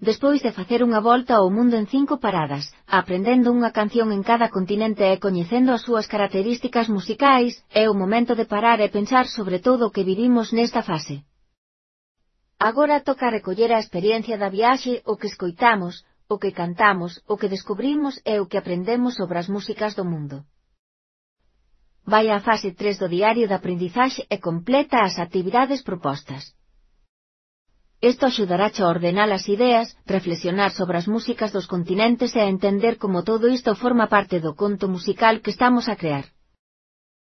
despois de facer unha volta ao mundo en 5 paradas, aprendendo unha canción en cada continente e coñecendo as súas características musicais, é o momento de parar e pensar sobre todo o que vivimos nesta fase. Agora toca recoller a experiencia da viaxe, o que escoitamos, o que cantamos, o que descubrimos e o que aprendemos sobre as músicas do mundo. Vai á fase 3 do diario de aprendizaxe e completa as actividades propostas. Isto axudarache a ordenar as ideas, reflexionar sobre as músicas dos continentes e a entender como todo isto forma parte do conto musical que estamos a crear.